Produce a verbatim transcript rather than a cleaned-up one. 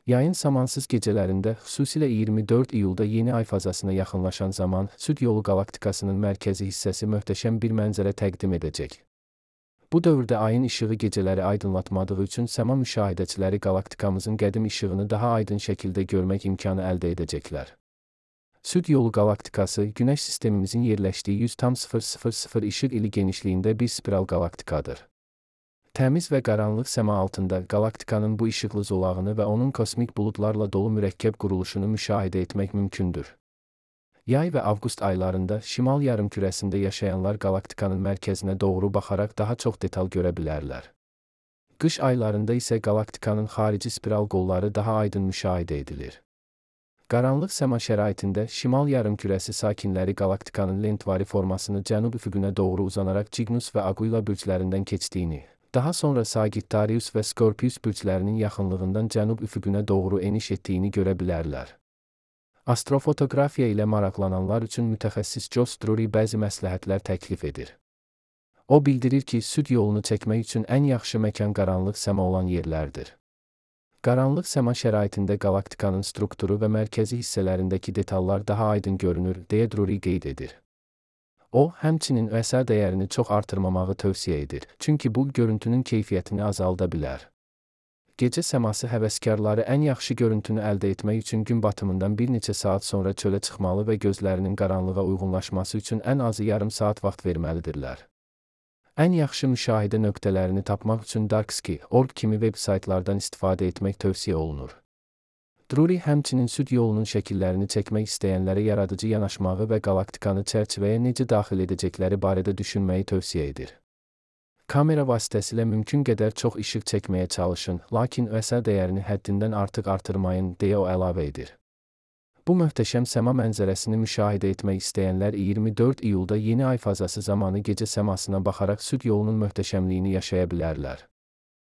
Yayın samansız gecələrində, xüsusilə iyirmi dörd iyulda yeni ay fazasına yaxınlaşan zaman, Süd yolu qalaktikasının mərkəzi hissəsi möhtəşəm bir mənzərə təqdim edəcək. Bu dövrdə ayın işığı gecələri aydınlatmadığı üçün səma müşahidəçiləri qalaktikamızın qədim işığını daha aydın şəkildə görmək imkanı əldə edəcəklər. Süd yolu qalaktikası, Günəş sistemimizin yerləşdiyi yüz tam sıfır sıfır sıfır işıq ili genişliyində bir spiral qalaktikadır. Təmiz və qaranlıq səma altında qalaktikanın bu işıqlı zolağını və onun kosmik buludlarla dolu mürəkkəb quruluşunu müşahidə etmək mümkündür. Yay və avqust aylarında şimal yarımkürəsində yaşayanlar qalaktikanın mərkəzinə doğru baxaraq daha çox detal görə bilərlər. Qış aylarında isə qalaktikanın xarici spiral qolları daha aydın müşahidə edilir. Qaranlıq səma şəraitində şimal yarımkürəsi sakinləri qalaktikanın lentvari formasını cənub üfüqünə doğru uzanaraq Cygnus və Aquila bürclərindən keçdiyini, daha sonra Sagittarius və Scorpius bürclərinin yaxınlığından cənub üfüqünə doğru eniş etdiyini görə bilərlər. Astrofotoqrafiya ilə maraqlananlar üçün mütəxəssis Josh Drury bəzi məsləhətlər təklif edir. O bildirir ki, süd yolunu çəkmək üçün ən yaxşı məkan qaranlıq səma olan yerlərdir. Qaranlıq səma şəraitində qalaktikanın strukturu və mərkəzi hissələrindəki detallar daha aydın görünür, deyə Drury qeyd edir. O, həmçinin Ö S A dəyərini çox artırmamağı tövsiyə edir, çünki bu, görüntünün keyfiyyətini azalda bilər. Gecə səması həvəskarları ən yaxşı görüntünü əldə etmək üçün gün batımından bir neçə saat sonra çölə çıxmalı və gözlərinin qaranlığa uyğunlaşması üçün ən azı yarım saat vaxt verməlidirlər. Ən yaxşı müşahidə nöqtələrini tapmaq üçün Darksky nöqtə org kimi veb saytlardan istifadə etmək tövsiyə olunur. Drury həmçinin süd yolunun şəkillərini çəkmək istəyənlərə yaradıcı yanaşmağı və qalaktikanı çərçivəyə necə daxil edəcəkləri barədə düşünməyi tövsiyə edir. Kamera vasitəsilə mümkün qədər çox işıq çəkməyə çalışın, lakin Ö S A dəyərini həddindən artıq artırmayın, deyə o əlavə edir. Bu möhtəşəm səma mənzərəsini müşahidə etmək istəyənlər iyirmi dörd iyulda yeni ay fazası zamanı gecə səmasına baxaraq süd yolunun möhtəşəmliyini yaşaya bilərlər.